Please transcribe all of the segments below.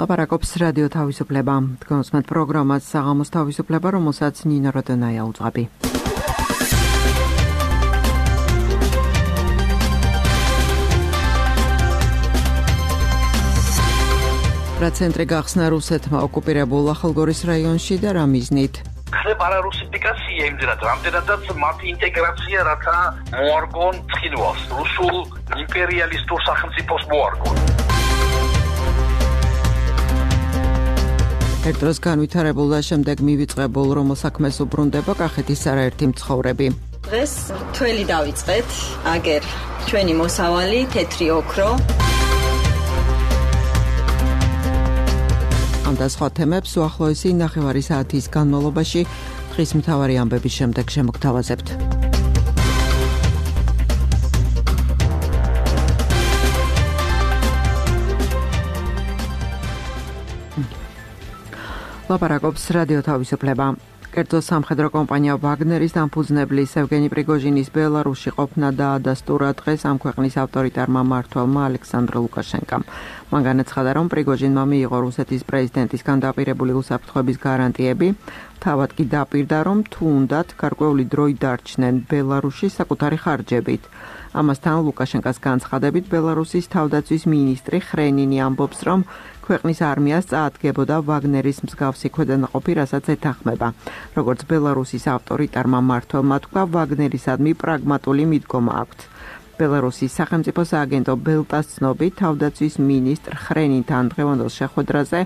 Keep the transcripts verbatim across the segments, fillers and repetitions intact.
ლაპარაკობს რადიო თავისუფლება. თქვენს პროგრამას საღამოს თავისუფლება, რომელსაც ნინო როდონაია უძღვები. პროცენტრი გახსნა რუსეთმა ოკუპირებულ ახალგორის რაიონში და რა მიზნით? ხდება არარუსიფიკაცია იმდენად, რამდენადაც მათი ინტეგრაცია რათა მოარგონ ცხინვალს, რუსულ იმპერიალისტურ სახელმწიფოს მოარგონ. ერთ დროს განვითარებულ და შემდეგ მივიწყებულ რომელ საქმეს უბრუნდება კახეთის არაერთი მცხოვრები. დღეს თველი დავიწყეთ, აგერ ჩვენი მოსავალი თეთრი ოქრო. ამ და სხვა თემებს უახლოესი ნახევარი საათის განმავლობაში დღის მთავარი ამბების შემდეგ შემოგთავაზებთ. ლაპარაკობს რადიო თავისუფლება. კერძო სამხედრო კომპანია ვაგნერის დამფუძნებლის ევგენი პრიგოჟინის ბელარუსში ყოფნა დაადასტურა დღეს ამ ქვეყნის ავტორიტარმა მმართველმა ალექსანდრ ლუკაშენკამ. მან განაცხადა, რომ პრიგოჟინმა მიიღო რუსეთის პრეზიდენტისგან დაპირებული უსაფრთხოების გარანტიები, თავად კი დაპირდა, რომ თუ უნდათ გარკვეული დროით დარჩნენ ბელარუსში საკუთარი ხარჯებით. ამასთან ლუკაშენკას განცხადებით ბელარუსის თავდაცვის მინისტრი ხრენინი ამბობს, რომ ქვეყნის არმიას წაადგებოდა ვაგნერის მსგავსი ქვედანაყოფი, რასაც ეთანხმება. როგორც ბელარუსის ავტორიტარმა მმართველმა თქვა, ვაგნერისადმი პრაგმატული მიდგომა აქვთ. ბელარუსის სახელმწიფო სააგენტო ბელტას ცნობით, თავდაცვის მინისტრ ხრენინთან დღევანდელ შეხვედრაზე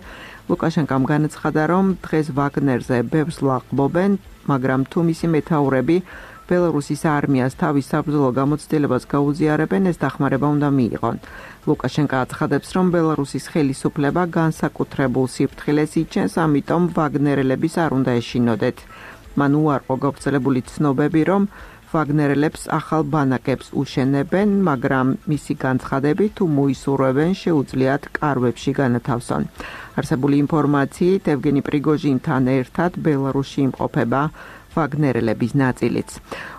ლუკაშენკამ განაცხადა, რომ დღეს ვაგნერზე ბევრს ლაღბობენ, მაგრამ თუ მისი მეთაურები ბელარუსის არმიას თავის საბრძოლო გამოცდილებას გაუზიარებენ, ეს დახმარება უნდა მიიღონ. ლუკაშენკა აცხადებს, რომ ბელარუსის ხელისუფლება განსაკუთრებულ სიფრთხილეს იჩენს, ამიტომ ვაგნერელების არ უნდა ეშინოდეთ. მან უარყო გავრცელებული ცნობები, რომ ვაგნერელებს ახალ ბანაკებს უშენებენ, მაგრამ მისი განცხადებით, თუ მოისურვებენ, შეუძლიათ კარვებში განათავსონ. არსებული ინფორმაციით, ევგენი პრიგოჟინთან ერთად ბელარუსში იმყოფება ვაგნერელების ნაწილიც.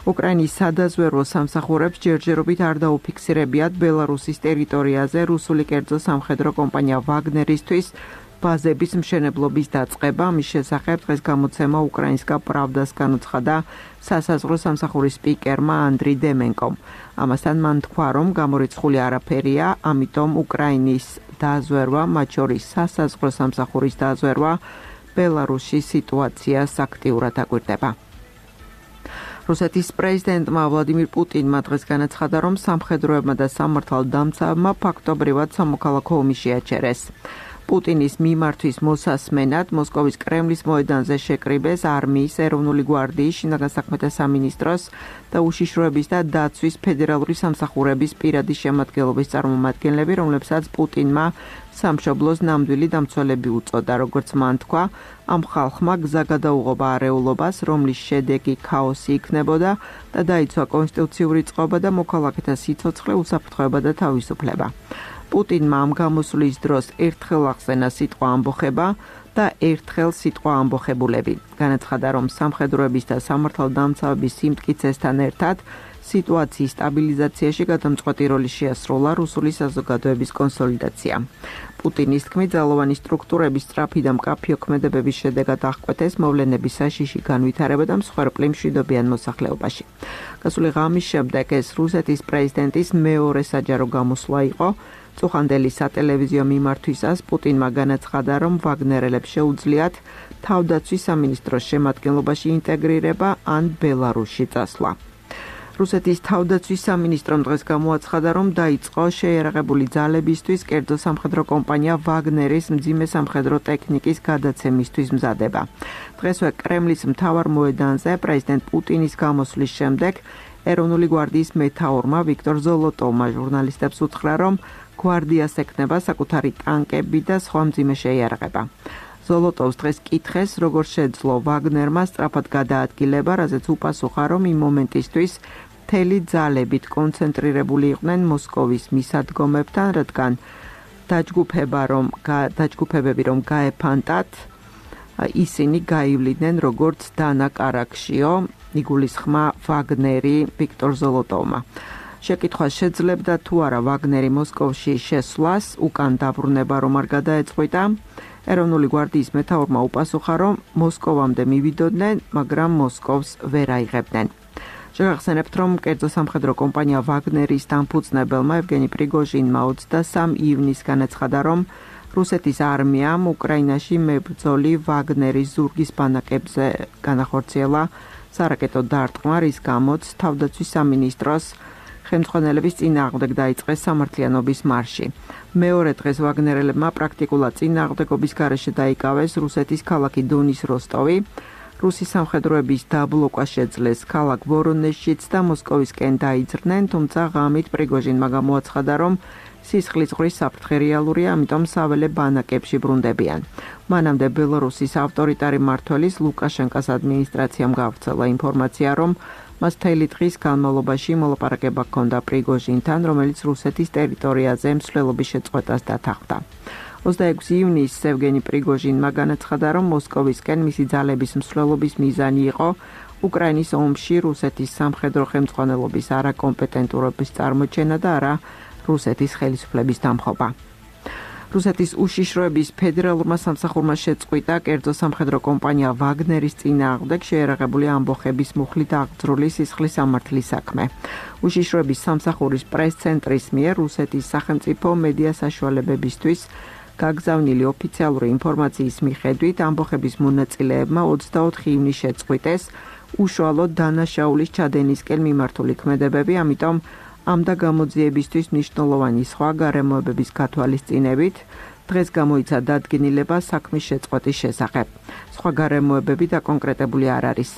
უკრაინის სადაზვერვო სამსახურებს ჯერჯერობით არ დაუფიქსირებიათ ბელარუსის ტერიტორიაზე რუსული კერძო სამხედრო კომპანია ვაგნერისთვის ბაზების მშენებლობის დაწყება. მის შესახებ დღეს გამოცემა უკრაინსკა პრავდას განუცხადა სასაზღვრო სამსახურის სპიკერმა ანდრი დემენკომ. ამასთან მან თქვა, რომ გამორიცხული არაფერია, ამიტომ უკრაინის დაზვერვა, მათ შორის სასაზღვრო სამსახურის დაზვერვა ბელარუსში სიტუაციას აქტიურად აკვირდება. რუსეთის პრეზიდენტმა ვლადიმირ პუტინმა დღეს განაცხადა, რომ სამხედროებმა და სამართალდამცავებმა ფაქტობრივად სამოქალაქო ომი შეაჩერეს. პუტინის მიმართვის მოსასმენად მოსკოვის კრემლის მოედანზე შეკრიბეს არმიის, ეროვნული გვარდიის, შინაგან საქმეთა სამინისტროს და უშიშროების და დაცვის ფედერალური სამსახურების პირადი შემადგენლობის წარმომადგენლები, რომლებსაც პუტინმა სამშობლოს ნამდვილი დამცველები უწოდა. როგორც მან თქვა, ამ ხალხმა გზა გადაუღობა არეულობას, რომლის შედეგი ქაოსი იქნებოდა და დაიცვა კონსტიტუციური წყობა და მოქალაქეთა სიცოცხლე, უსაფრთხოება და თავისუფლება. პუტინმა ამ გამოსვლის დროს ერთხელ ახსენა სიტყვა ამბოხება და ერთხელ სიტყვა ამბოხებულები. განაცხადა, რომ სამხედროების და სამართალდამცავების სიმტკიცესთან ერთად სიტუაციის სტაბილიზაციაში გადამწყვეტი როლი შეასრულა რუსული საზოგადოების კონსოლიდაცია. პუტინის თქმით, ძალოვანი სტრუქტურების სწრაფი და მკაფიო ქმედებების შედეგად აღკვეთეს მოვლენების საშიში განვითარება და მსხვერპლი მშვიდობიან მოსახლეობაში. გასული ღამის შემდეგ ეს რუსეთის პრეზიდენტის მეორე საჯარო გამოსვლა იყო. წუხანდელი სატელევიზიო მიმართვისას პუტინმა განაცხადა, რომ ვაგნერელებს შეუძლიათ თავდაცვის სამინისტროს შემადგენლობაში ინტეგრირება ან ბელარუსში წასვლა. რუსეთის თავდაცვის სამინისტრომ დღეს გამოაცხადა, რომ დაიწყო შეიარაღებული ძალებისთვის კერძო სამხედრო კომპანია ვაგნერის მძიმე სამხედრო ტექნიკის გადაცემისთვის მზადება. დღესვე კრემლის მთავარ მოედანზე პრეზიდენტ პუტინის გამოსვლის შემდეგ ეროვნული გვარდიის მეთაურმა ვიქტორ ზოლოტოვმა ჟურნალისტებს უთხრა, რომ გვარდიას ექნება საკუთარი ტანკები და სხვა მძიმე შეიარაღება. ზოლოტოვს დღეს კითხეს, როგორ შეძლო ვაგნერმა სწრაფად გადაადგილება, რაზეც უპასუხა, რომ იმ მომენტისთვის მთელი ძალებით კონცენტრირებული იყვნენ მოსკოვის მისადგომებთან, რადგან დაჯგუფება რომ დაჯგუფებები რომ გაეფანტათ, ისინი გაივლიდნენ როგორც დანა კარაქშიო, იგულისხმა ვაგნერი ვიქტორ ზოლოტოვმა. შეკითხვა შეძლებდა თუ არა ვაგნერი მოსკოვში შესვლას, უკან დაბრუნება რომ არ გადაეწყვიტა. ეროვნული გვარდიის მეთაურმა უპასუხა, რომ მოსკოვამდე მივიდოდნენ, მაგრამ მოსკოვს ვერ აიღებდნენ. შეგახსენებთ, რომ კერძო სამხედრო კომპანია ვაგნერის დამფუძნებელმა ევგენი პრიგოჟინმა ოცდასამ ივნისს განაცხადა, რომ რუსეთის არმიამ უკრაინაში მებრძოლი ვაგნერის ზურგის ბანაკებზე განახორციელა სარაკეტო დარტყმა, რის გამოც თავდაცვის სამინისტროს ხელმძღვანელების წინააღმდეგ დაიწყეს სამართლიანობის მარში. მეორე დღეს ვაგნერელებმა პრაქტიკულად წინააღმდეგობის გარეშე დაიკავეს რუსეთის ქალაქი დონის როსტოვი. რუსის სამხედროების დაბლოკვა შეძლეს ქალაქ ვორონეჟშიც და მოსკოვისკენ დაიძრნენ, თუმცა ღამით პრიგოჟინმა გამოაცხადა, რომ სისხლის ზღვრის საფრთხე რეალურია, ამიტომ საველე ბანაკებში ბრუნდებიან. მანამდე ბელორუსის ავტორიტარი მმართველის ლუკაშენკოს ადმინისტრაციამ გავრცელა ინფორმაცია, რომ მას მთელი დღის განმავლობაში მოლაპარაკება ჰქონდა პრიგოჟინთან, რომელიც რუსეთის ტერიტორიაზე მსვლელობის შეწყვეტას დათანხმდა. ოცდაექვსი ივნისს ევგენი პრიგოჟინმა განაცხადა, რომ მოსკოვისკენ მისი ძალების მსვლელობის მიზანი იყო უკრაინის ომში რუსეთის სამხედრო ხელმძღვანელობის არაკომპეტენტურობის წარმოჩენა და არა რუსეთის ხელისუფლების დამხობა. რუსეთის უშიშროების ფედერალურმა სამსახურმა შეწყვიტა კერძო სამხედრო კომპანია ვაგნერის წინააღმდეგ შეერაღებული ამბოხების მუხლით აღძრული სისხლის სამართლის საქმე. უშიშროების სამსახურის პრეს-ცენტრის მიერ რუსეთის სახელმწიფო მედია საშუალებებისთვის გაგზავნილი ოფიციალური ინფორმაციის მიხედვით ამბოხების მონაწილეებმა ოცდაოთხი ივნისს შეწყვიტეს უშუალოდ დანაშაულის ჩადენისკენ მიმართული ქმედებები, ამიტომ ამ და გამოძიებისთვის მნიშვნელოვანი სხვა გარემოებების გათვალისწინებით დღეს გამოიცა დადგენილება საქმის შეწყვეტის შესახებ. სხვა გარემოებები დაკონკრეტებული არ არის.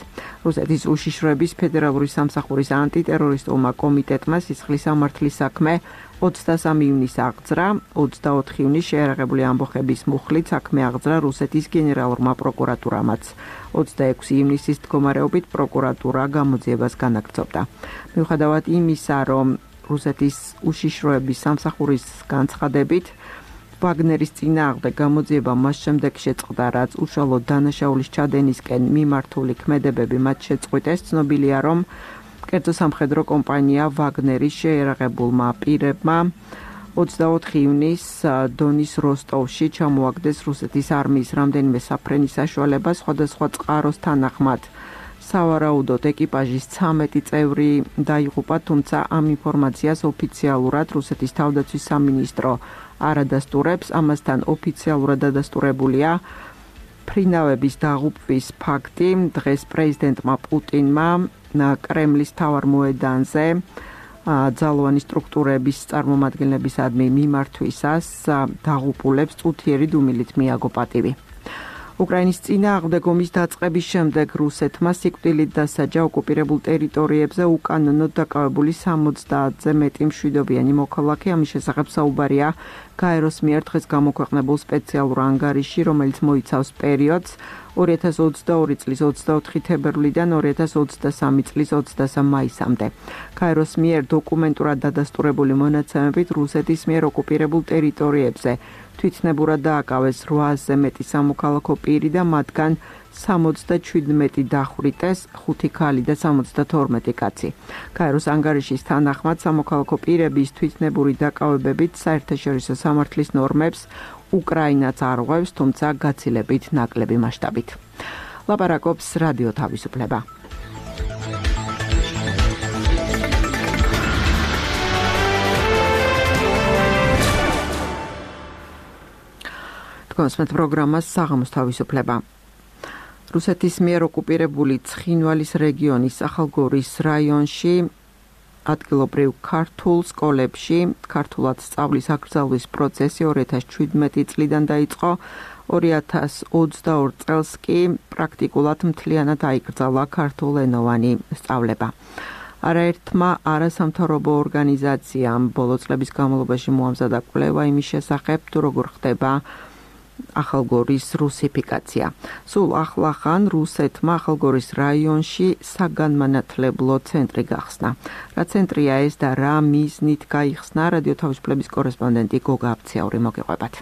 რუსეთის უშიშროების ფედერალური სამსახურის ანტიტერორისტულმა კომიტეტმა სისხლის სამართლის საქმე ოცდასამი ივნისს აღძრა, ოცდაოთხი ივნისს შეერაღებული ამბოხების მუხლით საქმე აღძრა რუსეთის გენერალურმა პროკურატურამაც. ოცდაექვსი ივნისის მდგომარეობით პროკურატურა გამოძიებას განაგრძობდა. მიუხედავად იმისა, რომ რუსეთის უშიშროების სამსახურის განცხადებით ვაგნერის წინააღმდეგ გამოძიება მას შემდეგ შეწყდა, რაც უშუალოდ დანაშაულის ჩადენისკენ მიმართული ქმედებები მათ შეწყვიტეს, ცნობილია, რომ კერძო სამხედრო კომპანია ვაგნერის შეერაღებულმა პირებმა ოცდაოთხი ივნისს დონის როსტოვში ჩამოაგდეს რუსეთის არმიის რამდენიმე საფრენის საშუალება სხვადასხვა წყაროს თანახმად. სავარაუდოდ ეკიპაჟის ცამეტი წევრი დაიღუპა, თუმცა ამ ინფორმაციას ოფიციალურად რუსეთის თავდაცვის სამინისტრო არ ადასტურებს, ამასთან ოფიციალურად ადასტურებულია ფრინავების დაღუპვის ფაქტი. დღეს პრეზიდენტმა პუტინმა კრემლის მთავარ მოედანზე ძალოვანი სტრუქტურების წარმომადგენლებისადმი მიმართვისას დაღუპულებს წუთიერი დუმილით მიაგო პატივი. უკრაინის წინააღმდეგ ომის დაწყების შემდეგ რუსეთმა სიკვდილით დასაჯა ოკუპირებულ ტერიტორიებზე უკანონოდ დაკავებული სამოცდაათზე მეტი მშვიდობიანი მოქალაქე. ამის შესახებ საუბარია გაეროს მიერ დღეს გამოქვეყნებულ სპეციალურ ანგარიში, რომელიც მოიცავს პერიოდს ორი ათას ოცდაორი წლის ოცდაოთხი თებერვლიდან ორი ათას ოცდასამი წლის ოცდასამ მაისამდე. გაეროს მიერ დოკუმენტურად დადასტურებული მონაცემებით რუსეთის მიერ ოკუპირებულ ტერიტორიებზე თვითნებურად დააკავეს რვაასზე მეტი სამოქალაქო პირი და მათგან სამოცდაჩვიდმეტი დახვრიტეს, ხუთი ქალი და სამოცდათორმეტი კაცი. გაეროს ანგარიშის თანახმად სამოქალაქო პირების თვითნებური დაკავებებით საერთაშორისო სამართლის ნორმებს უკრაინაც არღვევს, თუმცა გაცილებით ნაკლები მასშტაბით. ლაპარაკობს რადიო თავისუფლება. კონსმეთ პროგრამას საღამოს თავისუფლება. რუსეთის მიერ ოკუპირებული ცხინვალის რეგიონის ახალგორის რაიონში ადგილობრივ ქართულ სკოლებში ქართულად სწავლის აკრძალვის პროცესი ორი ათას შვიდმეტი წლიდან დაიწყო, ორი ათას ოცდაორ წელს კი პრაქტიკულად მთლიანად აიკრძალა ქართულენოვანი სწავლება. არაერთმა არასამთავრობო ორგანიზაციამ ბოლო წლების განმავლობაში მოამზადა კვლევა იმის შესახებ, თუ როგორ ხდება ახალგორის რუსიფიკაცია. სულ ახლახან რუსეთმა ახალგორის რაიონში საგანმანათლებლო ცენტრი გახსნა. რა ცენტრია ეს და რა მიზნით გაიხსნა, რადიო თავისუფლების კორესპონდენტი გოგა აფციაური მოგეყვებათ.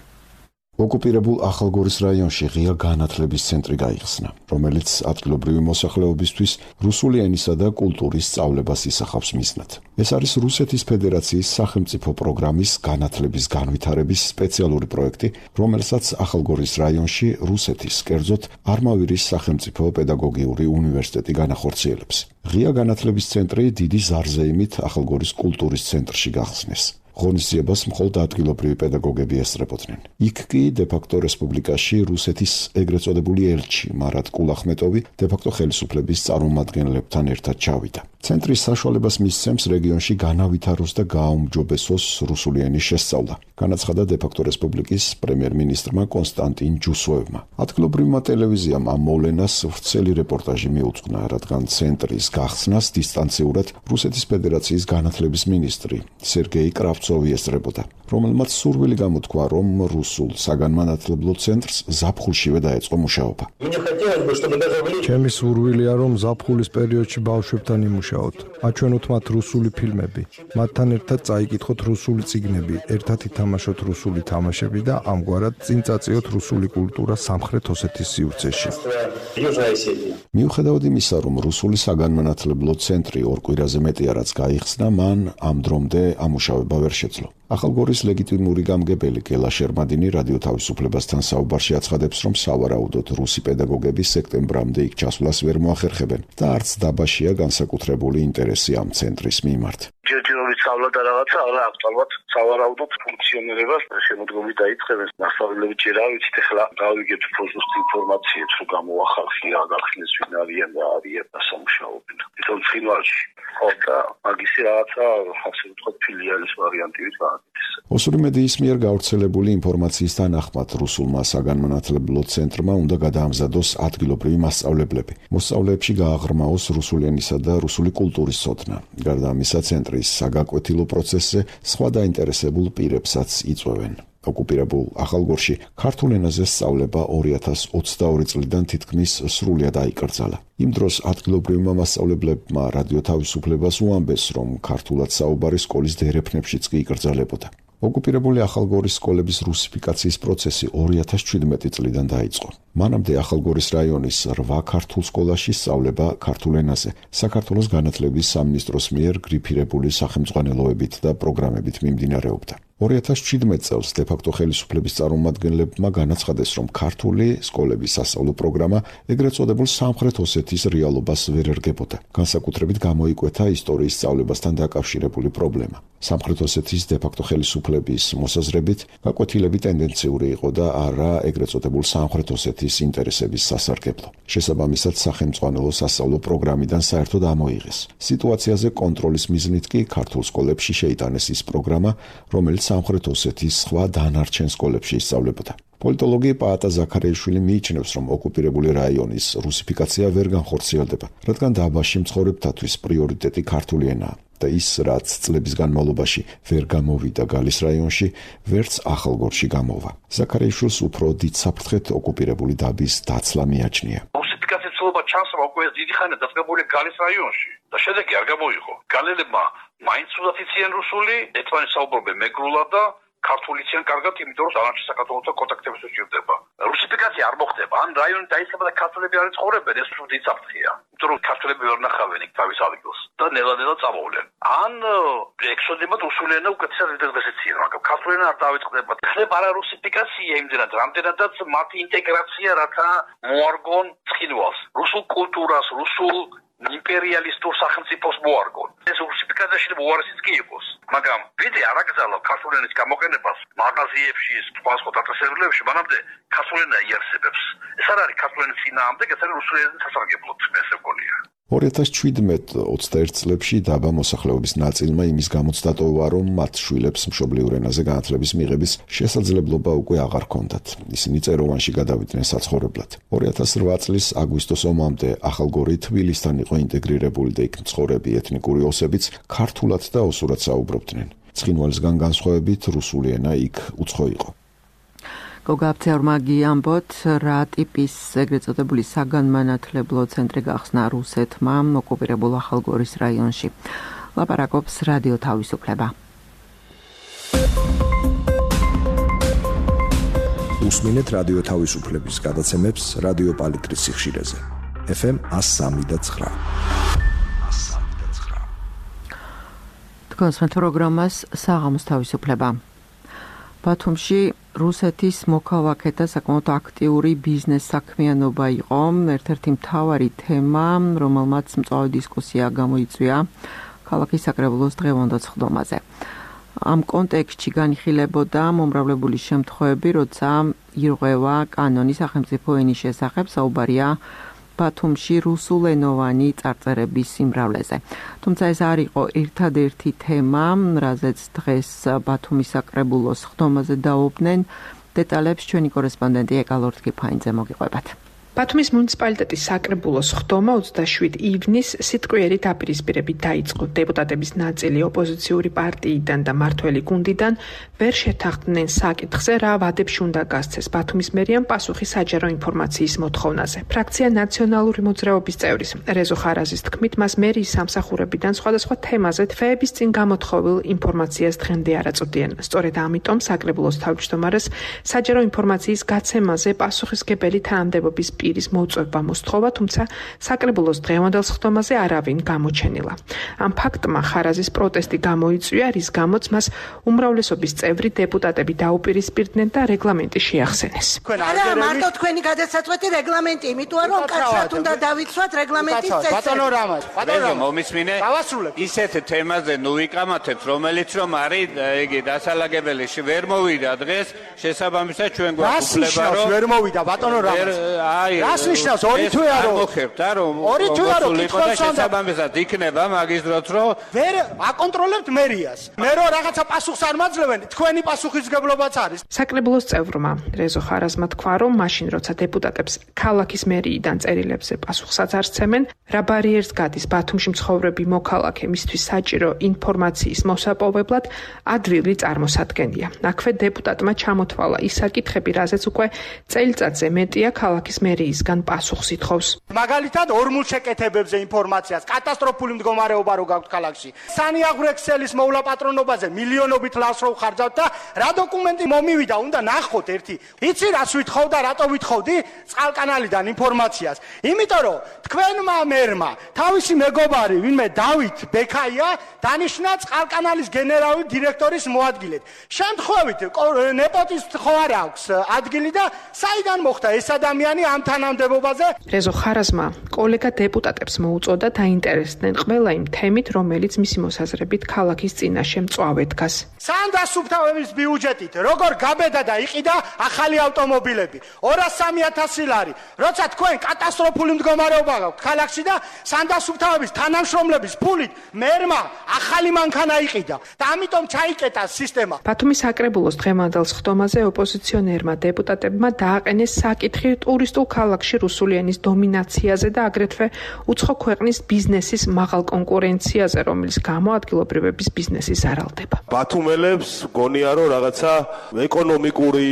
ოკუპირებულ ახალგორის რაიონში ღია განათლების ცენტრი გაიხსნა, რომელიც ადგილობრივი მოსახლეობისთვის რუსული ენისა და კულტურის სწავლებას ისახავს მიზნად. ეს არის რუსეთის ფედერაციის სახელმწიფო პროგრამის განათლების განვითარების სპეციალური პროექტი, რომელსაც ახალგორის რაიონში რუსეთის, კერძოდ არმავირის სახელმწიფო პედაგოგიური უნივერსიტეტი განახორციელებს. ღია განათლების ცენტრი დიდი ზარზეიმით ახალგორის კულტურის ცენტრში გახსნეს. ღონისძიებას მხოლოდ ადგილობრივი პედაგოგები ესწრებოდნენ. იქ კი დე-ფაქტო რესპუბლიკაში რუსეთის ეგრეთ წოდებული ელჩი მარატ კულახმეტოვი დე-ფაქტო ხელისუფლების წარმომადგენლებთან ერთად ჩავიდა. ცენტრის საშუალებას მისცემს რეგიონში განავითაროს და გააუმჯობესოს რუსული ენის შესწავლა, განაცხადა დე-ფაქტო რესპუბლიკის პრემიერ-მინისტრმა კონსტანტინ ჯუსოვმა. ადგილობრივმა ტელევიზიამ ამ მოვლენას ვრცელი რეპორტაჟი მიუძღვნა, რადგან ცენტრის გახსნას დისტანციურად რუსეთის ფედერაციის განათლების მინისტრი სერგეი კრავცოვი ესწრებოდა, რომელმაც სურვილი გამოთქვა, რომ რუსულ საგანმანათლებლო ცენტრს ზაფხულშივე დაეწყო მუშაობა. ჩემი სურვილია, რომ ზაფხულის პერიოდში ბავშვებთან იმუშაოთ, აჩვენოთ მათ რუსული ფილმები, მათთან ერთად წაიკითხოთ რუსული წიგნები, ერთად ითამაშოთ რუსული თამაშები და ამგვარად წინ წაწიოთ რუსული კულტურა სამხრეთ ოსეთის სივრცეში. მიუხედავად იმისა, რომ რუსული საგანმანათლებლო ცენტრი ორ კვირაზე მეტია რაც გაიხსნა, მან ამ დრომდე ამუშავება ვერ შეძლო. ახალგორის ლეგიტიმური გამგებელი გელა შერმადინი რადიო თავისუფლებასთან საუბარში აცხადებს, რომ სავარაუდოდ რუსი პედაგოგები სექტემბრამდე იქ ჩასვლას ვერ მოახერხებენ და არც დაბაშია განსაკუთრებული ინტერესი ამ ცენტრის მიმართ. ჯერჯერობით სწავლა და რაღაცა არა აქტუალურად სავარაუდოდ ფუნქციონირებას შემოდგომით დაიწყებენ. მასწავლებლები ჯერ არ ვიცით, ახლა გავიგეთ უფრო ზუსტ ინფორმაციებს, რომ გამოახალხია, გახსნეს ვინ არიან და არიან და სამუშაობენ. თვითონ ცხინვალში ხო და მაგისი რაღაცა ასე ვთქვათ ფილიალის ვარიანტივით გააკეთეს. ოსური მედიის მიერ გავრცელებული ინფორმაციის თანახმად რუსულმა საგანმანათლებლო ცენტრმა უნდა გადაამზადოს ადგილობრივი მასწავლებლები. მოსწავლეებში გააღრმაოს რუსული ენისა და რუსული კულტურის ცოდნა. გარდა ამისა, ცენტრის საგაკვეთილო პროცესზე სხვა დაინტერესებულ პირებსაც იწვევენ. ოკუპირებულ ახალგორში ქართულ ენაზე სწავლება ორი ათას ოცდაორი წლიდან თითქმის სრულად აიკრძალა. იმ დროს ადგილობრივმა მასწავლებლებმა რადიო თავისუფლებას უამბეს, რომ ქართულად საუბარი სკოლის დერეფნებშიც კი იკრძალებოდა. ოკუპირებული ახალგორის სკოლების რუსიფიკაციის პროცესი ორი ათას ჩვიდმეტი წლიდან დაიწყო. მანამდე ახალგორის რაიონის რვა ქართულ სკოლაში სწავლება ქართულ ენაზე საქართველოს განათლების სამინისტროს მიერ გრიფირებული სახელმძღვანელოებით და პროგრამებით მიმდინარეობდა. ორი ათას ჩვიდმეტ წელს დე-ფაქტო ხელისუფლების წარმომადგენლებმა განაცხადეს, რომ ქართული სკოლების სასწავლო პროგრამა ეგრეთ წოდებულ სამხრეთ ოსეთის რეალობას ვერ ერგებოდა. განსაკუთრებით გამოიკვეთა ისტორიის სწავლებასთან დაკავშირებული პრობლემა. სამხრეთ ოსეთის დე-ფაქტო ხელისუფლების მოსაზრებით, გაკვეთილები ტენდენციური იყო და არა ეგრეთ წოდებულ სამხრეთ ოსეთის ინტერესების სასარგებლო. შესაბამისად, სახელმძღვანელო სასწავლო პროგრამიდან საერთოდ ამოიღეს. სიტუაციაზე კონტროლის მიზნით კი ქართულ სკოლებში შეიტანეს ის პროგრამა, რომელიც სამხრეთ ოსეთის სხვა დანარჩენ სკოლებში ისწავლებოდა. პოლიტოლოგი პაატა ზაქარიაშვილი მიიჩნევს, რომ ოკუპირებული რაიონის რუსიფიკაცია ვერ განხორციელდება, რადგან დაბაში მცხოვრებთათვის პრიორიტეტი ქართული ენაა და ის, რაც წლების განმავლობაში ვერ გამოვიდა გალის რაიონში, ვერც ახალგორში გამოვა. ზაქარიაშვილს უფრო დიდ საფრთხეთ ოკუპირებული დაბის დაცლა მიაჩნია. რუსიფიკაციის ცდილობა ჩანს, რომ უკვე დიდი ხანია დაწესებული გალის რაიონში და შედეგი არ გამოიღო. გალელებმა მაინც უდათ იციან რუსული, ერთმანეთს საუბრობენ მეგრულად და ქართული იციან კარგად, იმიტომ რომ დანარჩენ საქართველოსთან კონტაქტების უჭირდება. რუსიფიკაცია არ მოხდება. ან რაიონი დაიწყება და ქართველები არ ცხოვრობენ, ეს უფრო დიდი საფრთხეა. იმიტომ რომ ქართველები ვერ ნახავენ იქ თავის ადგილს და ნელა-ნელა წამოვლენ. ან ექსოდებათ რუსული ენა უკეთესად ინტეგრაციაა, მაგრამ ქართული ენა არ დაიწყდება. ხდება არა რუსიფიკაცია იმდენად, რამდენადაც მათი ინტეგრაცია, რათა მოარგონ ცხინვალს, რუსულ კულტურას, რუსულ იმპერიალისტურ სახელმწიფოს მოარგონ. ეს რუსიფიკაციაში უარესიც კი იყოს, მაგრამ ვიდრე არ აკრძალა ქართული ენის გამოყენებას მაღაზიებში, სხვა სხვა დაწესებულებში, მანამდე ქართული ენა იარსებებს. ეს არ არის ქართული ენის წინააღმდეგ, ეს არის რუსული ენის სასარგებლოდ, ეს მეგონია. ორი ათას ჩვიდმეტ ოცდაერთ წლებში დაბა მოსახლეობის ნაწილმა იმის გამოც დატოვა, რომ მათ შვილებს მშობლიურ ენაზე განათლების მიღების შესაძლებლობა უკვე აღარ ჰქონდათ. ისინი წეროვანში გადავიდნენ საცხოვრებლად. ორი ათას რვა წლის აგვისტოს ომამდე ახალგორი თბილისთან იყო ინტეგრირებული და იქ მცხოვრები ეთნიკური ოსებიც ქართულად და ოსურად საუბრობდნენ. ცხინვალისგან განსხვავებით რუსული ენა იქ უცხო იყო. გოგაბცევრმა გიამბოთ, რა ტიპის ეგრეთ წოდებული საგანმანათლებლო ცენტრი გახსნა რუსეთმა ოკუპირებულ ახალგორის რაიონში. ლაპარაკობს რადიო თავისუფლება. უსმინეთ რადიო თავისუფლების გადაცემებს რადიო პალიტრის სიხშირეზე. ეფ ემ one oh three და nine. თქვენს პროგრამას საღამოს თავისუფლება. ბათუმში რუსეთის მოქალაქეთა საკმაოდ აქტიური ბიზნეს საქმიანობა იყო ერთ-ერთი მთავარი თემა, რომელმაც მწვავე დისკუსია გამოიწვია ქალაქის საკრებულოს დღევანდელ სხდომაზე. ამ კონტექსტში განიხილებოდა მომრავლებული შემთხვევები, როცა ირღვევა კანონი სახელმწიფო ენის შესახებ, საუბარია ბათუმში რუსულენოვანი წარწერების სიმრავლეზე. თუმცა ეს არ იყო ერთადერთი თემა, რაზეც დღეს ბათუმის საკრებულოს სხდომაზე დაობდნენ. დეტალებს ჩვენი კორესპონდენტი ეკალორთ კიფაინძე მოგიყვებათ. ბათუმის მუნიციპალიტეტის საკრებულოს სხდომა ოცდაშვიდი ივნისს სიტყვიერი დაპირისპირებით დაიწყო. დეპუტატების ნაწილი ოპოზიციური პარტიიდან და მართველი გუნდიდან ვერ შეთანხმდნენ საკითხზე, რა ვადებში უნდა გასცეს ბათუმის მერიამ პასუხი საჯარო ინფორმაციის მოთხოვნაზე. ფრაქცია ნაციონალური მოძრაობის წევრის რეზო ხარაზის თქმით, მას მერიის სამსახურებიდან სხვადასხვა თემაზე თვეების წინ გამოთხოვილ ინფორმაციას დღემდე არ აწვდიან. სწორედ ამიტომ საკრებულოს თავმჯდომარეს საჯარო ინფორმაციის გაცემაზე პასუხისმგებელი თანამდებობის პირის მოწვევა მოსთხოვა, თუმცა საკრებულოს დღევანდელ სხდომაზე არავინ გამოჩენილა. ამ ფაქტმა ხარაზის პროტესტი გამოიწვია, რის გამოც მას უმრავლესობის წევრი დეპუტატები დაუპირისპირდნენ და რეგლამენტი შეახსენეს. არა, მარტო თქვენი გადასაწყვეტი რეგლამენტი, იმიტომ რომ კაცად უნდა დავიცვათ რეგლამენტის წესები. ბატონო რამაც, ბატონო მომისმინე. ისეთ თემაზე ნუ ვიკამათებთ, რომელიც რომ არის იგი დასალაგებელი ვერ მოვიდა დღეს, შესაბამისად ჩვენ გვაქვს უფლება რომ ვერ მოვიდა ბატონო რამაც. რას ნიშნავს ორი თვე არო? მოხერხდა რომ ორი თვე არო კითხავს შესაბამისად იქნება მაგის დროც რომ ვერ აკონტროლებთ მერიას. მე რო რაღაცა პასუხს არ მაძლევენ, თქვენი პასუხისმგებლობაც არის. საკრებულოს წევრმა რეზო ხარაზმა თქვა, რომ მაშინ როცა დეპუტატებს ქალაქის მერიიდან წერილებზე პასუხსაც არ სცემენ, რა ბარიერს გადის ბათუმში მცხოვრები მოქალაქე მისთვის საჭირო ინფორმაციის მოსაპოვებლად ადვილი წარმოსადგენია. აქვე დეპუტატმა ჩამოთვალა ის საკითხები, რაზეც უკვე წელიწადზე მეტია ქალაქის მერიისგან პასუხს ითხოვს. მაგალითად ორმულ შეკეთებებზე ინფორმაციას, კატასტროფული მდგომარეობა რო გაქვთ ქალაქში. სანიაღვრე ქსელის მოვლა პატრონობაზე მილიონობით ლარს რო ხარჯავთ და რა დოკუმენტი მომივიდა, უნდა ნახოთ ერთი. იცი რას ვითხოვ და რატო ვითხოვდი წყალკანალიდან ინფორმაციას? იმიტომ რომ თქვენმა მერმა თავისი მეგობარი, ვინმე დავით ბექაია, დანიშნა წყალკანალის გენერალური დირექტორის მოადგილედ. შემთხვევით ნეპოტიზმს ხო არ აქვს ადგილი და საიდან მოხდა ეს ადამიანი ამ თანამდებობაზე? რეზო ხარაზმა კოლეგა დეპუტატებს მოუწოდა დაინტერესდნენ ყველა იმ თემით, რომელიც მისი მოსაზრებით ქალაქის წინაშე მწვავე დგას. სანდასუფთავების ბიუჯეტით როგორ გაბედა და იყიდა ახალი ავტომობილები ორას სამი ათასი ლარი, როცა თქვენ კატასტროფული მდგომარეობა გაქვთ ქალაქში და სანდასუფთავების თანამშრომლების ფულით მერმა ახალი მანქანა იყიდა და ამიტომ ჩაიკეტა სისტემა. ბათუმის საკრებულოს დღევანდელ სხდომაზე ოპოზიციონერმა დეპუტატებმა დააყენეს საკითხი ტურისტულ ქალაქში რუსული ენის დომინაციაზე და აგრეთვე უცხო ქვეყნის ბიზნესის მაღალ კონკურენციაზე, რომელიც გამო ადგილობრივების ბიზნესი ზარალდება. ბათუმელებს გონია რომ რაღაცა ეკონომიკური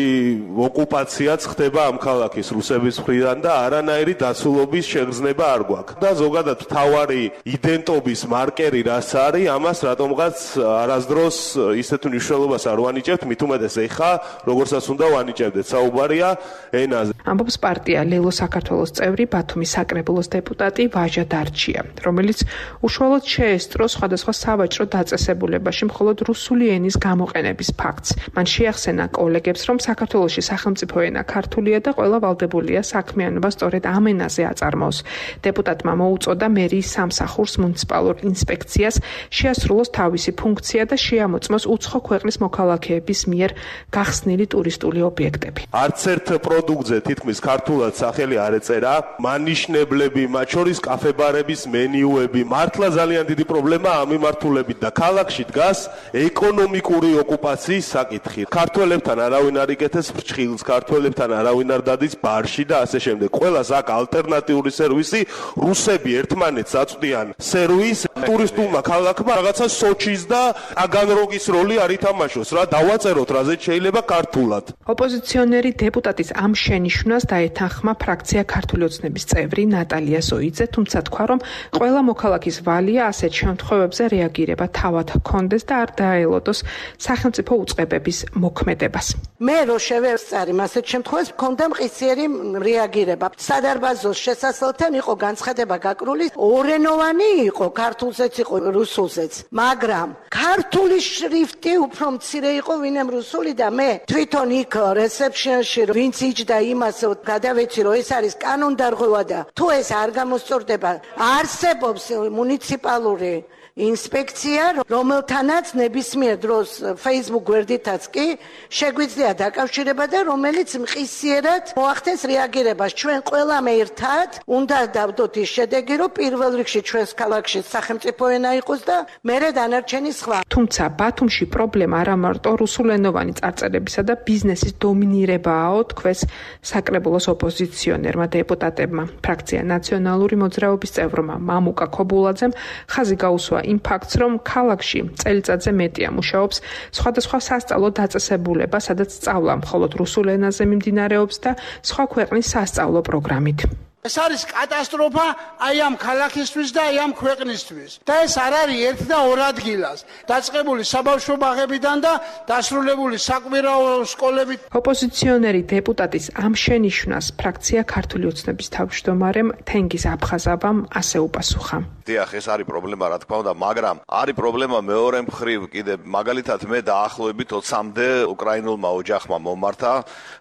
ოკუპაციაც ხდება ამ ქალაქის რუსების მხრიდან და არანაირი დაცულობის შეგრძნება არ გვაქვს. და ზოგადად მთავარი იდენტობის მარკერი რაც არის, ამას რატომღაც არასდროს ისეთ მნიშვნელობას არ ვანიჭებთ, მით უმეტეს ეხა, როგორცაც უნდა ვანიჭებდეთ, საუბარია ენაზე. ამბობს პარტია ლელო საქართველოს წევრი ბათუმის საკრებულოს დეპუტატი ვაჟა დარჩია, რომელიც უშუალოდ შეესწრო სხვადასხვა სავაჭრო დაწესებულებაში მხოლოდ რუსული ენის გამოყენების ფაქტს. მან შეახსენა კოლეგებს, რომ საქართველოში სახელმწიფო ენა ქართულია და ყველა ვალდებულია საქმიანობა სწორედ ამ ენაზე აწარმოოს. დეპუტატმა მოუწოდა მერიის სამსახურს მუნიციპალურ ინსპექციას შეასრულოს თავისი ფუნქცია და შეამოწმოს უცხო ქვეყნის მოქალაქეების მიერ გახსნილი ტურისტული ობიექტები. არც ერთ პროდუქტზე თითქმის ქართულად სახელი არ ეწერა, მანიშნებლები, მათ შორის კაფე-ბარების მენიუები, მართლა ძალიან დიდი პრობლემა ამ მიმართულებით და ქალაქში დგას ეკონომიკური ოკუპაციის საკითხი. ქართველებთან არავინ არ იკეთებს ფრჩხილს, ქართველებთან არავინ არ დადის ბარში და ასე შემდეგ. ყველას აქ ალტერნატიული სერვისი, რუსები ერთმანეთს აწვდიან სერვისს, ტურისტულმა ქალაქმა რაღაცა სოჩის და ტაგანროგის როლი არ ითამაშოს რა, დავაწეროთ რაზეც შეიძლება ქართულად. ოპოზიციონერი დეპუტატის ამ შენიშვნას დაეთანხმა ფრაქცია ქართული ოცნების წევრი ნატალია ზოიძე, თუმცა თქვა, რომ ყველა მოქალაქის ვალია ასეთ შემთხვევებზე რეაგირება თავად ჰქონდეს და არ დაელოდოს სახელმწიფო უწყებების მოქმედებას. მე რო შევევსწარი ასეთ შემთხვევებს მქონდა მყისიერი რეაგირება. სადარბაზოს შესასვლელთან იყო განცხადება გაკრული, ორენოვანი იყო, ქართულზეც იყო, რუსულზეც, მაგრამ ქართული შრიფტი უფრო მცირე იყო ვინმე რუსული და მე თვითონ იქ რეცეპშენში ვინც იჯდა იმას გადავეცი რომ ეს არის კანონდარღვევა და თუ ეს არ გამოსწორდება არსებობს მუნიციპალური ინსპექცია, რომელთანაც ნებისმიერ დროს Facebook გვერდითაც კი შეგვიძლია დაკავშირება და რომელიც მყისიერად მოახდენს რეაგირებას. ჩვენ ყველამ ერთად უნდა დავდოთ ის შედეგი, რომ პირველ რიგში ჩვენს ქალაქში სახელმწიფო ენა იყოს და მერე დანარჩენი სხვა. თუმცა ბათუმში პრობლემა არა მარტო რუსულენოვანი წარწერებისა და ბიზნესის დომინირებაა, თქვეს საკრებულოს ოპოზიციონერმა დეპუტატებმა. ფრაქცია ნაციონალური მოძრაობის წევრმა მამუკა ქობულაძემ ხაზი გაუსვა იმ ფაქტს, რომ ქალაქში წელიწადზე მეტია მუშაობს სხვადასხვა სასწავლო დაწესებულება, სადაც სწავლა მხოლოდ რუსულ ენაზე მიმდინარეობს და სხვა ქვეყნის სასწავლო პროგრამით. ეს არის კატასტროფა აი ამ ქალაქისთვის და აი ამ ქვეყნისთვის. და ეს არ არის ერთ და ორ ადგილას. დაწყებული საბავშვო ბაღებიდან და დასრულებული საკვირაო სკოლებით. ოპოზიციონერი დეპუტატის ამ შენიშვნას ფრაქცია ქართული ოცნების თავმჯდომარემ თენგიზ აფხაზავამ ასე უპასუხა. დიახ, ეს არის პრობლემა, რა თქმა უნდა, მაგრამ არის პრობლემა მეორე მხრივ კიდე. მაგალითად, მე დაახლოებით ოცამდე უკრაინულმა ოჯახმა მომართა,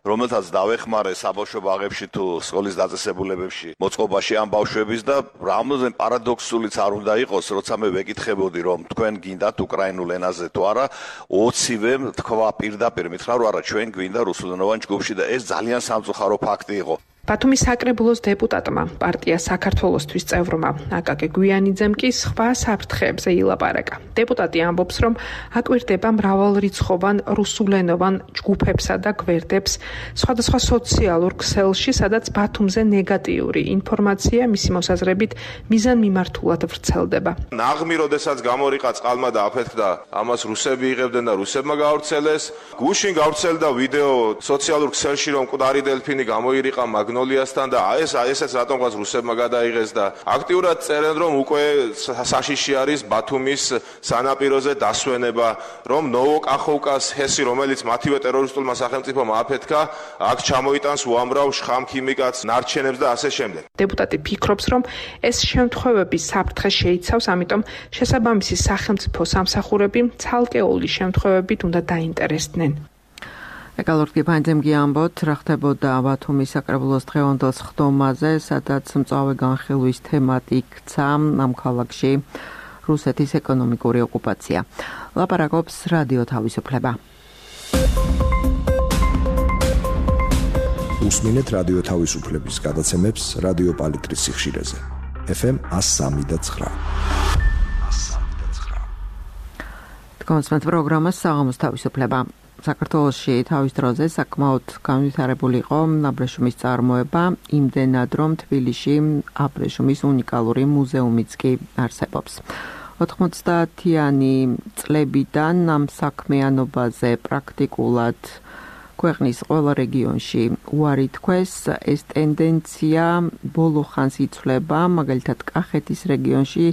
რომელთაც დავეხმარე საბავშვო ბაღებში თუ სკოლის დაწესებულებებში მოწყობაში ამ ბავშვების და რამოდენ პარადოქსულიც არ უნდა იყოს, როცა მე ვეკითხებოდი, რომ თქვენ გინდათ უკრაინულ ენაზე თუ არა, ოცივემ თქვა პირდაპირ მითხრა, რომ არა, ჩვენ გვინდა რუსულენოვან ჯგუფში და ეს ძალიან სამწუხარო ფაქტი იყო. ბათუმის საკრებულოს დეპუტატმა, პარტია საქართველოსთვის წევრმა აკაკი გვიანიძემ კი სხვა საფრთხეებზე ილაპარაკა. დეპუტატი ამბობს, რომ აკვირდება მრავალრიცხოვან რუსულენოვან ჯგუფებსა და გვერდებს სხვადასხვა სოციალურ ქსელში, სადაც ბათუმზე ნეგატიური ინფორმაცია მისი მოსაზრებით მიზანმიმართულად ვრცელდება. ნაღმი, როდესაც გამორიყა წყალმა და აფეთქდა, ამას რუსები იღებდნენ და რუსებმა გავრცელეს. გუშინ გავრცელდა ვიდეო სოციალურ ქსელში, რომ მკვდარი დელფინი გამოირიყა მაგნოლიასთან და ეს ესეც რატომღაც რუსებმა გადაიღეს და აქტიურად წერენ, რომ უკვე საშიში არის ბათუმის სანაპიროზე დასვენება, რომ ნოვოკახოვკას ჰესი, რომელიც მათივე ტერორისტულმა სახელმწიფომ აფეთქა, აქ ჩამოიტანს უამრავ შხამ ქიმიკატს, ნარჩენებს და ასე შემდეგ. დეპუტატი ფიქრობს, რომ ეს შემთხვევები საფრთხე შეიცავს, ამიტომ შესაბამისი სახელმწიფო სამსახურები ცალკეული შემთხვევებით უნდა დაინტერესდნენ. ეკალორტი ფანძემ გიამბოთ, რა ხდებოდა ბათუმის საკრებულოს დღევანდელ სხდომაზე, სადაც მწვავე განხილვის თემად იქცა ამ ქალაქში რუსეთის ეკონომიკური ოკუპაცია. ლაპარაკობს რადიო თავისუფლება. უსმინეთ რადიო თავისუფლების გადაცემებს რადიო პალიტრის სიხშირეზე. ეფ ემ one oh three და nine. თქვენს პროგრამას საღამოს თავისუფლება. საქართველოში თავის დროზე საკმაოდ განვითარებული იყო აბრეშუმის წარმოება, იმდენად რომ თბილისში აბრეშუმის უნიკალური მუზეუმიც კი არსებობს. ოთხმოცდაათიანი წლებიდან ამ საქმიანობაზე პრაქტიკულად ქვეყნის ყველა რეგიონში უარი თქვეს, ეს ტენდენცია ბოლო ხანს იცვლება, მაგალითად კახეთის რეგიონში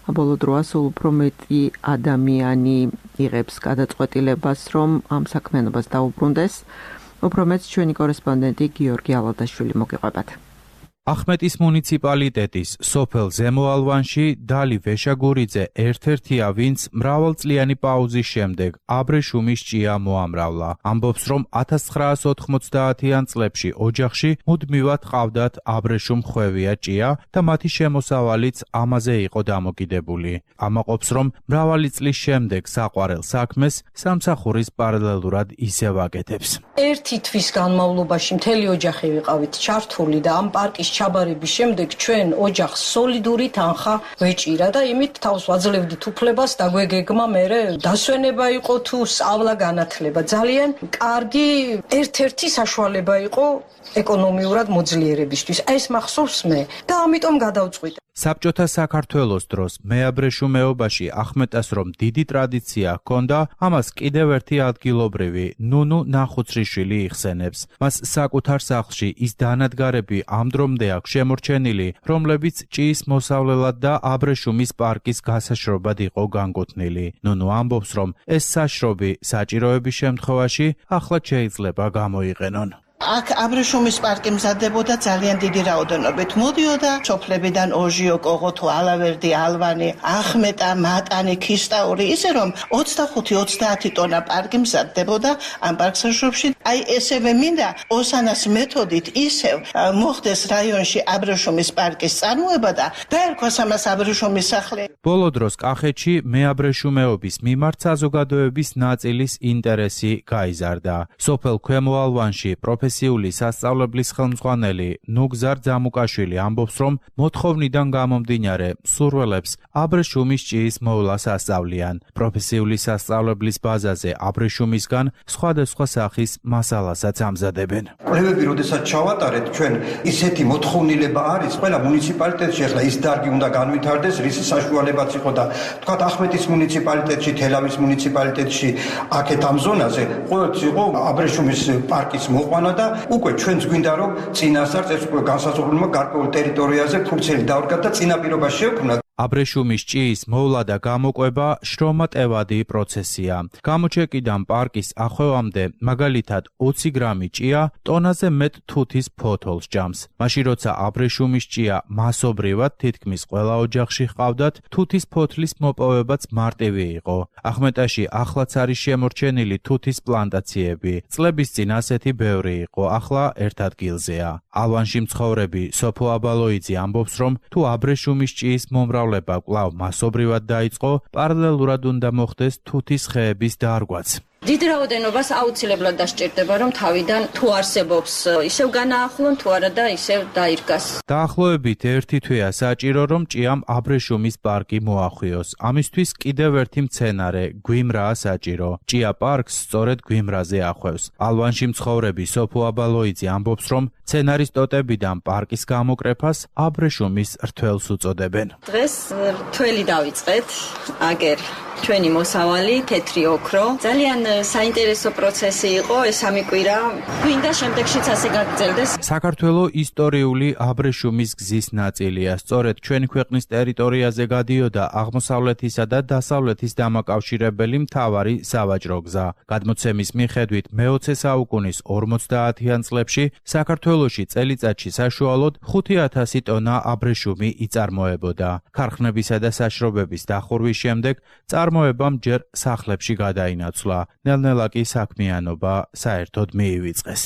ბოლო დროა სულ უფრო მეტი ადამიანი იღებს გადაწყვეტილებას, რომ ამ საქმიანობას დაუბრუნდეს. უფრო მეც ჩვენი კორესპონდენტი გიორგი ალადაშვილი მოგიყვებათ. ახმეტის მუნიციპალიტეტის სოფელ ზემოალვანში დალი ვეშაგურიძე ერთ-ერთია, ვინც მრავალწლიანი პაუზის შემდეგ აბრეშუმის ჭია მოამრავლა. ამბობს, რომ ათას ცხრაას ოთხმოცდაათიან წლებში ოჯახში მუდმივად ყავდათ აბრეშუმ ხვევია ჭია და მათი შემოსავალიც ამაზე იყო დამოკიდებული. ამაყობს, რომ მრავალი წლის შემდეგ საყვარელ საქმეს სამსახურის პარალელურად ისევ აკეთებს. ერთი თვის განმავლობაში მთელი ოჯახი ვიყავით ჩართული და ამ პარკის ჩაბარების შემდეგ ჩვენ ოჯახს სოლიდური თანხა ვეჭირა და იმით თავს ვაძლევდით უფლებას და გვეგეგმა მერე დასვენება იყო თუ სწავლა განათლება. ძალიან კარგი ერთ-ერთი საშუალება იყო ეკონომიურად მოძლიერებისთვის. ეს მახსოვს მე და ამიტომ გადავწყვიტე. საბჭოთა საქართველოს დროს მეაბრეშუმეობაში ახმეტას რომ დიდი ტრადიცია ჰქონდა, ამას კიდევ ერთი ადგილობრივი ნუნუ ნახუცრიშვილი იხსენებს. მას საკუთარ სახლში ის დანადგარები ამ დრომდე აქვს შემორჩენილი, რომლებიც ჭიის მოსავლელად და აბრეშუმის პარკის გასაშრობად იყო განკუთვნილი. ნუნუ ამბობს, რომ ეს საშრობი საჭიროების შემთხვევაში ახლა შეიძლება გამოიყენონ. აქ აბრეშუმის პარკი მზადდებოდა ძალიან დიდი რაოდენობით. მოდიოდა სოფლებიდან ოჟიო, კოღოთო, ალავერდი, ალვანი, ახმეტა, მატანი, ქისტაური, ისე რომ ოცდახუთი ოცდაათი ტონა პარკი მზადდებოდა ამ პარკსაშრობში. აი ესევე მინდა ოსანას მეთოდით ისევ მოხდეს რაიონში აბრეშუმის პარკის წარმოება და დაერქვას ამას აბრეშუმის სახლი. ბოლო დროს კახეთში მეაბრეშუმეობის მიმართ საზოგადოების ნაწილის ინტერესი გაიზარდა. სოფელ ქვემო ალვანში პროფესიული სასწავლებლის ხელმძღვანელი ნუგზარ ძამუკაშვილი ამბობს, რომ მოთხოვნიდან გამომდინარე მსურველებს აბრეშუმის ჭიის მოვლას ასწავლიან. პროფესიული სასწავლებლის ბაზაზე აბრეშუმისგან სხვადასხვა სახის მასალასაც ამზადებენ. კვლევები, როდესაც ჩავატარეთ, ჩვენ ისეთი მოთხოვნილება არის, ყველა მუნიციპალიტეტში ახლა ის დარგი უნდა განვითარდეს, რის საშუალებაც იყო და თქვათ ახმეტის მუნიციპალიტეტში, თელავის მუნიციპალიტეტში, აქეთ ამ ზონაზე ყოველთვის იყო აბრეშუმის პარკის მოყვანა და უკვე ჩვენც გვინდა რომ წინასწარ ეს უკვე განსაზღვრულმა გარკვეულ ტერიტორიაზე ფურცელი დავრგათ და წინაპირობა შევქმნათ. აბრეშუმის ჭიის მოვლა და გამოყვება შრომატევადი პროცესია. გამოჩეკიდან პარკის ახვევამდე მაგალითად ოცი გრამი ჭია ტონაზე მეტ თუთის ფოთოლს ჭამს. მაშინ როცა აბრეშუმის ჭია მასობრივად თითქმის ყველა ოჯახში ჰყავდათ, თუთის ფოთლის მოპოვებაც მარტივი იყო. ახმეტაში ახლაც არის შემორჩენილი თუთის პლანტაციები. წლების წინ ასეთი ბევრი იყო, ახლა ერთ ადგილზეა. ალვანში მცხოვრები სოფო აბალოიძე ამბობს, რომ თუ აბრეშუმის ჭიის მომრავლება კვლავ მასობრივად დაიწყო, პარალელურად უნდა მოხდეს თუთის ხეების დარგვაც. დიდ რაოდენობას აუცილებლად დასჭირდება, რომ თავიდან თუ არსებობს ისევ განაახლონ, თუ არა და ისევ დაირგას. დაახლოებით ერთი თვეა საჭირო, რომ ჭიამ აბრეშუმის პარკი მოახვიოს. ამისთვის კიდევ ერთი მცენარე, გვიმრაა საჭირო. ჭია პარკს სწორედ გვიმრაზე ახვევს. ალვანში მცხოვრები სოფო აბალოიძე ამბობს, რომ მცენარის ტოტებიდან პარკის გამოკრეფას აბრეშუმის რთველს უწოდებენ. დღეს რთველი დავიწყეთ, აგერ ჩვენი მოსავალი თეთრი ოქრო. ძალიან საინტერესო პროცესი იყო ეს სამი კვირა. გვინდა შემდეგშიც ასე გაგრძელდეს. საქართველოს ისტორიული აბრეშუმის გზის ნაწილია. სწორედ ჩვენი ქვეყნის ტერიტორიაზე გადიოდა აღმოსავლეთისა და დასავლეთის დამაკავშირებელი მთავარი სავაჭრო გზა. გადმოცემის მიხედვით მეოცე საუკუნის ორმოცდაათიან წლებში საქართველოში წელიწადში საშუალოდ ხუთი ათასი ტონა აბრეშუმი იწარმოებოდა. ქარხნებისა და საშრობების დახურვის შემდეგ წარმოებამ ჯერ სახლებში გადაინაცვლა. ნელ-ნელა კი საქმიანობა საერთოდ მიივიწყეს.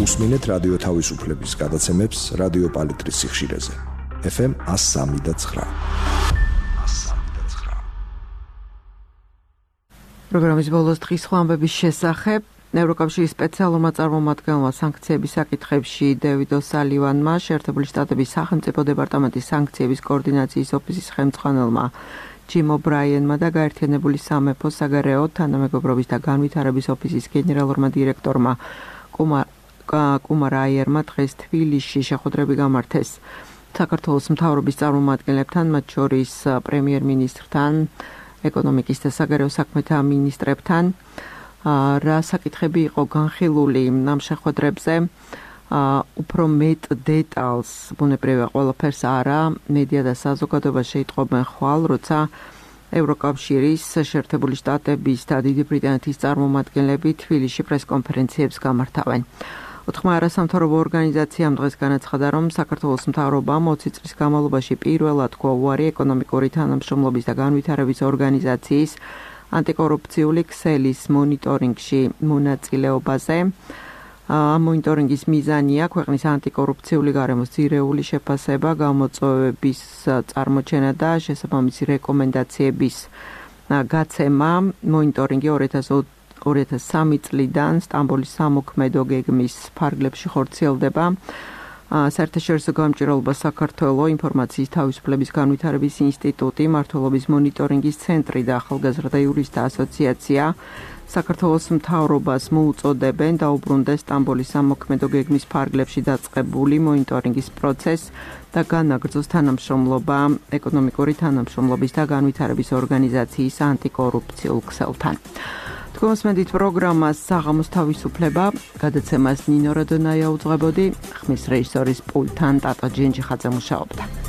უსმინეთ რადიო თავისუფლების გადაცემებს რადიო პალიტრის სიხშირეზე. ეფ ემ one oh three point nine. პროგრამის ბოლოს დღის ხვამბების შესახებ ევროკავშირის სპეციალურმა წარმომადგენელმა სანქციების საკითხებში დევიდ ოსალივანმა, შეერთებული შტატების სახელმწიფო დეპარტამენტის სანქციების კოორდინაციის ოფისის ხელმძღვანელმა ჯიმ ობრაიენმა და გაერთიანებული სამეფო საგარეო თანამეგობრობის და განვითარების ოფისის გენერალურმა დირექტორმა კუმარ აიერმა დღეს თბილისში შეხვედრები გამართეს საქართველოს მთავრობის წარმომადგენლებთან, მათ შორის პრემიერ-მინისტრთან, ეკონომიკის და საგარეო საქმეთა მინისტრებთან. რა საკითხები იყო განხილული ამ შეხვედრებზე, უფრო მეტ დეტალს, ბუნებრივია ყველაფერს არა, მედია და საზოგადოება შეიტყობენ ხვალ, როცა ევროკავშირის, შეერთებული შტატების და დიდი ბრიტანეთის წარმომადგენლები თბილისში პრესკონფერენციებს გამართავენ. ოთხმა არასამთავრობო ორგანიზაციამ დღეს განაცხადა, რომ საქართველოს მთავრობამ ოცი წლის განმავლობაში პირველად თქვა უარი ეკონომიკური თანამშრომლობის და განვითარების ორგანიზაციის ანტიკორუფციული ქსელის მონიტორინგში მონაწილეობაზე. ამ მონიტორინგის მიზანია ქვეყნის ანტიკორუფციული გარემოს ძირეული შეფასება, გამოწვევების წარმოჩენა და შესაბამისი რეკომენდაციების გაცემა. მონიტორინგი ორი ათას სამი წლიდან სტამბოლის სამოქმედო გეგმის ფარგლებში ხორციელდება. საერთაშორისო გამჭირვალობა საქართველოს ინფორმაციის თავისუფლების განვითარების ინსტიტუტი, მმართველობის მონიტორინგის ცენტრი და ახალგაზრდა იურისტთა ასოციაცია საქართველოს მთავრობას მოუწოდებენ დაუბრუნდეს სტამბოლის სამოქმედო გეგმის ფარგლებში დაწყებული მონიტორინგის პროცესს და განაგრძოს თანამშრომლობა ეკონომიკური თანამშრომლობის და განვითარების ორგანიზაციის ანტიკორუფციულ ქსელთან. თქმით, პროგრამას საღამოს თავისუფლება გადაცემას ნინო რადონაია უძღვებოდი, ხმის რეჟისორის პულტთან ტატა ჯენჯიხაძე მუშაობდა.